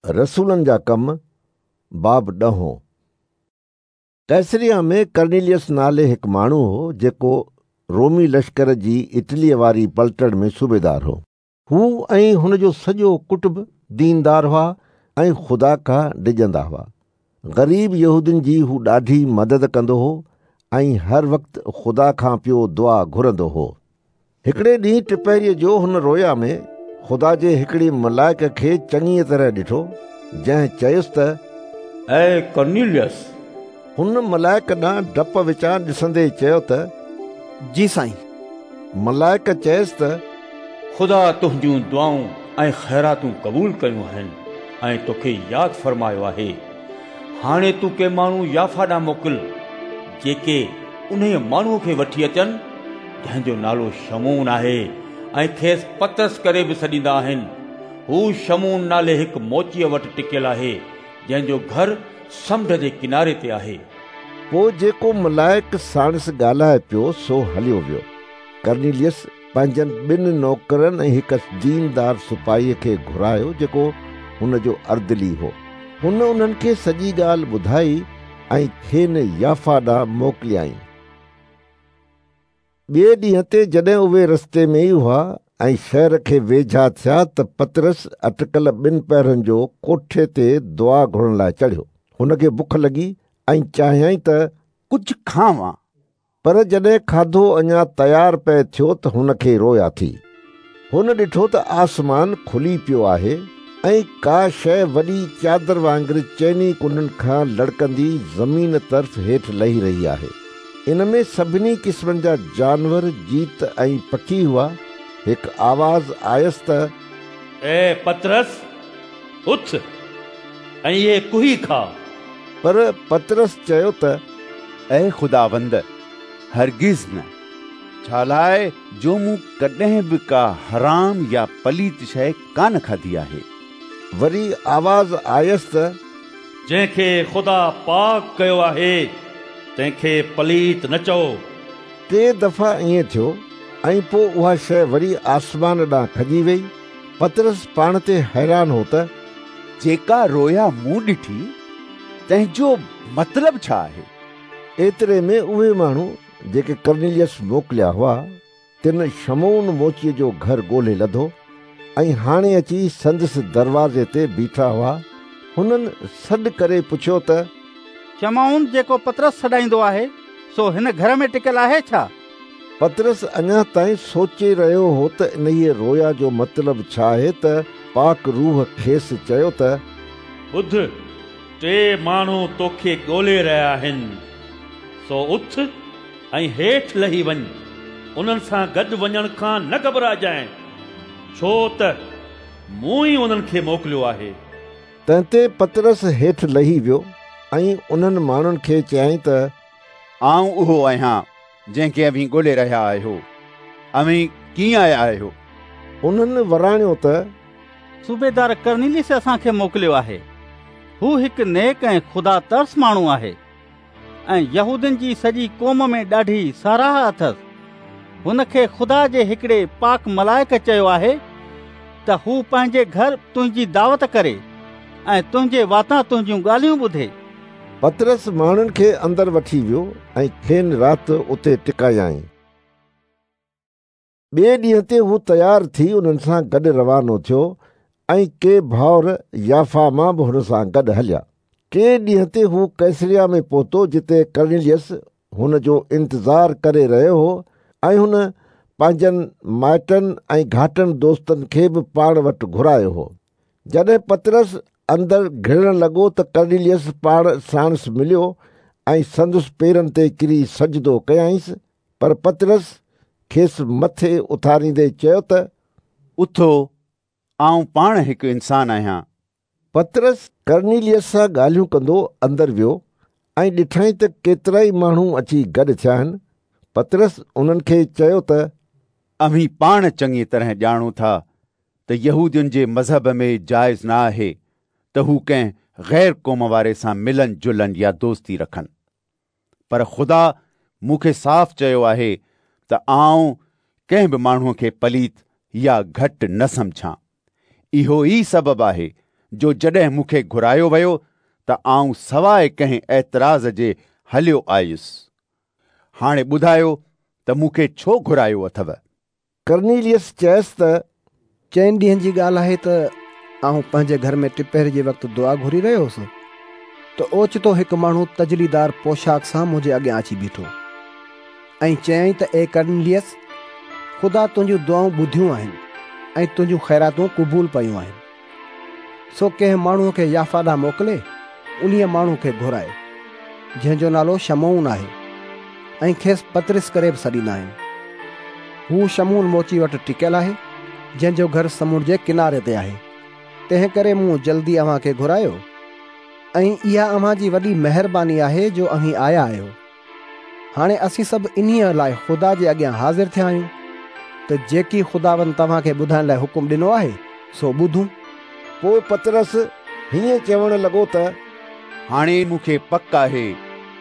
رسولن جا ڪم، باب ڏهون. قيصريه ۾ ڪرنيليس نالي هڪ ماڻهو هو، جيڪو رومي لشڪر جي اٽليء واري پلٽڻ ۾ صوبيدار هو. هو ۽ هن جو سڄو ڪٽنب ديندار هئا ۽ خدا کان ڊڄندا هئا. غريب يهودين جي هو ڏاڍي مدد ڪندو هو ۽ هر وقت خدا کان پيو دعا گهرندو هو. هڪڙي ڏينهن ٽپهريء جو هن رويا ۾ خدا جي هڪڙي ملائڪ کي چڱيء طرح ڏٺو، جنهن چيس ته، اي ڪرنيليس! هن ملائڪ ڏانهن ڊپ وچان ڏسندي چيو ته، جي سائين! ملائڪ چيس ته، خدا تنهنجون دعائون ۽ خيراتون قبول ڪيون آهن ۽ توکي ياد فرمايو آهي. هاڻي تون ڪي ماڻهو يافا ڏانهن موڪل، جيڪي انهيء ماڻهوء کي وٺي اچن، جنهن جو نالو شمعون آهي ۽ کيس پطرس ڪري به سڏيندا آهن. هو شمعون نالي هڪ موچيء وٽ ٽڪيل آهي، جنهن جو گهر سمنڊ جي ڪناري تي آهي. پوء جيڪو ملائڪ ساڻس ڳالهائي پيو، سو هليو ويو. ڪرنيليس پنهنجن ٻن نوڪرن ۽ هڪ ديندار سپاهيء کي گهرايو، جيڪو هن جو اردلي هو. هن انهن کي سڄي ڳالهه ٻڌائي ۽ کين يافا ڏانهن موڪليائين. ٻئي ڏينهن تي جڏهن اهي رستي ۾ ئي هئا ۽ شهر کي ويجها ٿيا ته پطرس اٽڪل ٻن پهرن جو ڪوٺي تي دعا گهرڻ لاء چڙهيو. هن کي بک لڳي ۽ چاهيائين ته ڪجهه کاوان. پر جڏهن کاڌو اڃا تيار پئي ٿيو ته هن کي رويا ٿي. هن ڏٺو ته آسمان کلي پيو آهي ۽ ڪا شيء وڏي چادر وانگر چئني ڪنڊن کان لڙڪندي زمين طرف هيٺ لهي رهي آهي. ان ۾ سڀني قسمن جا جانور، جيت ۽ پکي هئا. هڪ آواز آيس ته. اي پطرس، اٿ ۽ اهي ڪهي کاء. پر پطرس چيو ته. اي خداوند، هرگز نه، ڇالاء جو مون ڪڏهن به ڪا حرام يا پليت شيء ڪانه کاڌي آهي. وري آواز آيس ته. جنهن کي خدا پاڪ ڪيو آهي، تنهن کي پليت نه چئو. ٽي دفعا ائين ٿيو ۽ پوء اها شيء وري آسمان ڏانهن کڄي ويئي. پطرس پاڻ تي حيران هو ته. جيڪا رويا مون ڏٺي، تنهن جو مطلب ڇا آهي؟ ايتري ۾ اهي ماڻهو جيڪي ڪرنيليس موڪليا هئا، تن شمعون موچيء جو گهر ڳولي لڌو ۽ هاڻي اچي سندس دروازي تي بيٺا هئا. هنن سڏ ڪري پڇيو ته. شمعون جيڪو پطرس سڏائيندو آهي، سو هن گهر ۾ ٽڪيل آهي ڇا؟ پطرس اڃا تائين سوچي رهيو هو ته انهيء رويا جو مطلب ڇا آهي ته پاڪ روح کيس چيو ته. ٻڌ، ٽي ماڻهو توکي ڳولي رهيا آهن، سو اٿ ۽ هيٺ لهي وڃ، انهن سان گڏ وڃڻ کان نه گهٻرائجانء، ڇو ته مون ئي انهن کي موڪليو آهي. تنهن تي پطرس هيٺ لهي ويو ۽ انهن ماڻهن کي چيائين ته. آئون اهو آهيان، جنهن کي اوهين ڳولي رهيا آهيو. اوهين ڪيئن آيا آهيو؟ انهن وراڻيو ته. صوبيدار ڪرنيليس اسان کي موڪليو آهي. هو هڪ نيڪ ۽ خدا ترس ماڻهو آهي. ۽ يهودين جي سڄي قوم ۾ ڏاڍي ساراهه اٿس. هن کي خدا جي هڪڙي پاڪ ملائڪ چيو آهي ته هو پنهنجي گهر تنهنجي دعوت ڪري ۽ تنهنجي واتان تنهنجون ڳالهيون ٻڌي. پطرس ماڻهن کي اندر وٺي ويو ۽ کين رات اتي ٽڪايائين. ٻئي ڏينهن تي هو تيار ٿي انهن سان گڏ روانو ٿيو ۽ ڪي ڀائر يافا مان به هن سان گڏ هليا. ٽئين ڏينهن تي هو قيصريه ۾ پهتو جتي ڪرنيليس هن جو انتظار ڪري رهيو هو ۽ هن پنهنجن مائٽن ۽ گهاٽن دوستن کي به پاڻ وٽ گهرايو هو. جڏهن پطرس اندر گهڙڻ لڳو ته ڪرنيليس پاڻ ساڻس مليو ۽ سندس پيرن تي ڪري سجدو ڪيائينس. پر پطرس کيس مٿي اٿاريندي چيو ته. اٿو، آئون پاڻ هڪ انسان آهيان. پطرس ڪرنيليس سان ڳالهيون ڪندو اندر ويو ۽ ڏٺائين ته ڪيترائي ماڻهو اچي گڏ ٿيا آهن. پطرس انهن کي چيو ته. اوهين پاڻ چڱيء طرح ڄاڻو ٿا ته يهودين جي مذهب ۾ جائز نه آهي ته هو ڪنهن غير قوم واري سان ملن جلن يا دوستي رکن. پر خدا مون کي صاف چيو آهي ته آئون ڪنهن به ماڻهوء کي پليت يا گهٽ نه سمجهان. اهو ئي سبب آهي جو جڏهن مون کي گهرايو ويو ته آئون سواء ڪنهن اعتراض جي هليو آيس. هاڻي ٻڌايو ته مون کي ڇو گهرايو اٿو؟ ڪرنيليس چيس ته چئن ڏينهن جي ڳالهه آهي ته آئون پنهنجي گهر ۾ ٽپهري جي وقت دعا گهري رهيو هوس ته اوچتو هڪ ماڻهو تجليدار پوشاڪ سان منهنجي اڳيان اچي بيٺو ۽ چيائين ته اي ڪرنيليس، خدا تنهنجون دعائون ٻڌيون آهن ۽ تنهنجون خيراتون قبول پيون آهن. سو ڪنهن ماڻهوء کي يافا ڏانهن موڪلي انهيء ماڻهوء کي گهراء، جنهن جو نالو شمعون آهي ۽ کيس پطرس ڪري به سڏيندا آهن. هو شمعون موچي وٽ ٽڪيل آهي، جنهن جو گهر سمنڊ جي ڪناري تي آهي. تنهن ڪري مون جلدي اوهان کي گهرايو ۽ اها اوهان جي وڏي مهرباني آهي جو اوهين آيا آهيو. هاڻي اسين سڀ انهيء لاء خدا جي اڳيان حاضر ٿيا آهيون ته جيڪي خداوند توهان کي ٻڌائڻ لاء حڪم ڏنو آهي، سو ٻڌون. پوء پطرس هيئن چوڻ لڳو ته. هاڻي مون کي پڪ آهي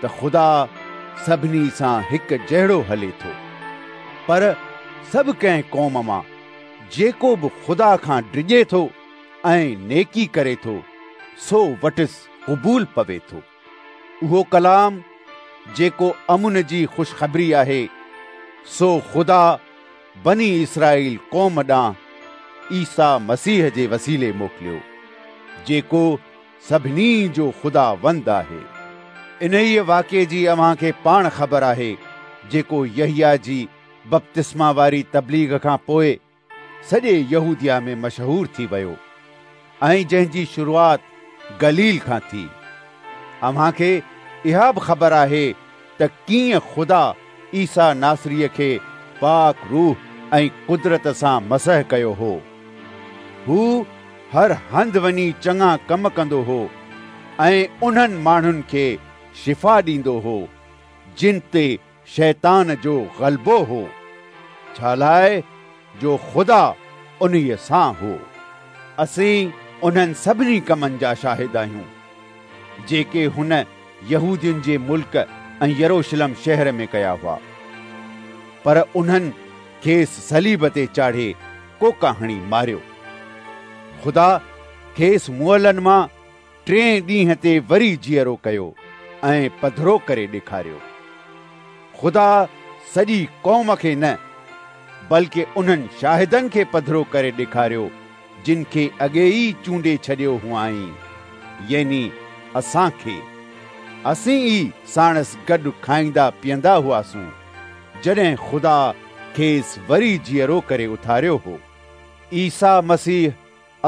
ته خدا سڀني سان هڪ جهڙو هلي ٿو، پر سڀ ڪنهن قوم مان جيڪو به خدا کان ڊڄي ٿو ۽ نيڪي ڪري ٿو، سو وٽس قبول پوي ٿو. اهو ڪلام جيڪو امن جي خوشخبري آهي، سو خدا بني اسرائيل قوم ڏانهن عيسيٰ مسيح جي وسيلي موڪليو، جيڪو سڀني جو خداوند آهي. انهيء واقعي جي اوهان کي پاڻ خبر آهي، جيڪو يحيٰ جي بپتسما واري تبليغ کان پوء سڄي يهوديه ۾ مشهور ٿي ويو ۽ جنهن جي شروعات گليل کان ٿي. اوهان کي اها به خبر آهي ته ڪيئن خدا عيسيٰ ناصريء کي پاڪ روح ۽ قدرت سان مسح ڪيو هو. هو هر هنڌ وڃي چڱا ڪم ڪندو هو ۽ انهن ماڻهن کي شفا ڏيندو هو، جن تي شيطان جو غلبو هو، ڇالاء جو خدا انهيء سان هو. اسين انهن سڀني ڪمن جا شاهد آهيون، جيڪي هن يهودين جي ملڪ ۽ يروشلم شهر ۾ ڪيا هئا. پر انهن کيس صليب تي چاڙهي ڪوڪا هڻي ماريو. خدا کيس مئلن مان ٽئين ڏينهن تي وري جيئرو ڪيو ۽ پڌرو ڪري ڏيکاريو. خدا سڄي قوم کي نه، بلڪ انهن شاهدن کي پڌرو ڪري ڏيکاريو، جن کي اڳي ئي چونڊي ڇڏيو هئائين، يعني اسان کي. اسين ئي ساڻس گڏ کائيندا پيئندا هئاسون، جڏهن خدا کيس وري جيئرو ڪري اٿاريو هو. عيسيٰ مسيح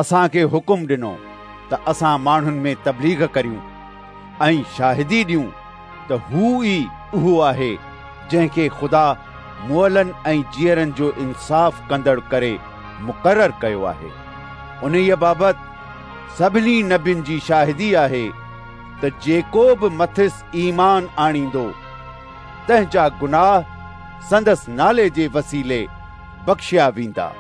اسان کي حڪم ڏنو ته اسان ماڻهن ۾ تبليغ ڪريون ۽ شاهدي ڏيون ته هو ئي اهو آهي جنهن کي خدا مئلن ۽ جيئرن جو انصاف ڪندڙ ڪري مقرر ڪيو آهي. انهيء بابت سڀني نبين جي شاهدي آهي ته جيڪو به مٿس ايمان آڻيندو، تنهن جا گناهه سندس نالي جي وسيلي بخشيا ويندا.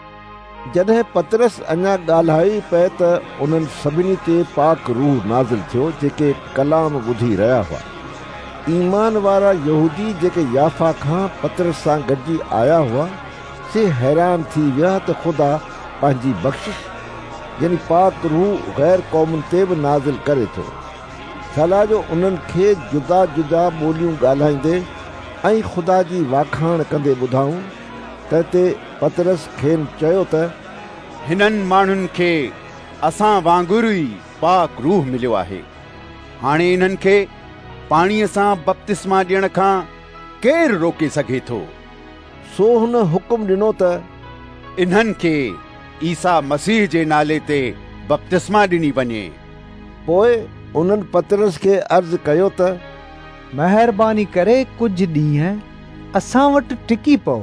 جڏهن پطرس اڃا ڳالهايو ئي پئي ته انهن سڀني تي پاڪ روح نازل ٿيو جيڪي ڪلام ٻڌي رهيا هئا. ايمان وارا يهودي جيڪي يافا کان پطرس سان گڏجي آيا هئا، سي حيران ٿي ويا ته خدا پنهنجي بخشش يعني پاڪ روح غير قومن تي به نازل ڪري ٿو. ڇالاء جو انهن کي جدا جدا ٻوليون ڳالهائيندي ۽ خدا جي واکاڻ ڪندي ٻڌائون. تنهن تي پطرس کين چيو ته. هنن ماڻهن کي اسان وانگر ئي پاڪ روح مليو آهي. هاڻي انهن کي پاڻيء سان بپتسما ڏيڻ کان ڪير روڪي سگهي ٿو؟ سو هن حڪم ڏنو ته. انهن کي عيسيٰ مسيح جي نالي تي بپتسما ڏني وڃي. پوء انهن پطرس کي عرض ڪيو ته. مهرباني ڪري ڪجهه ڏينهن اسان وٽ ٽڪي پئو.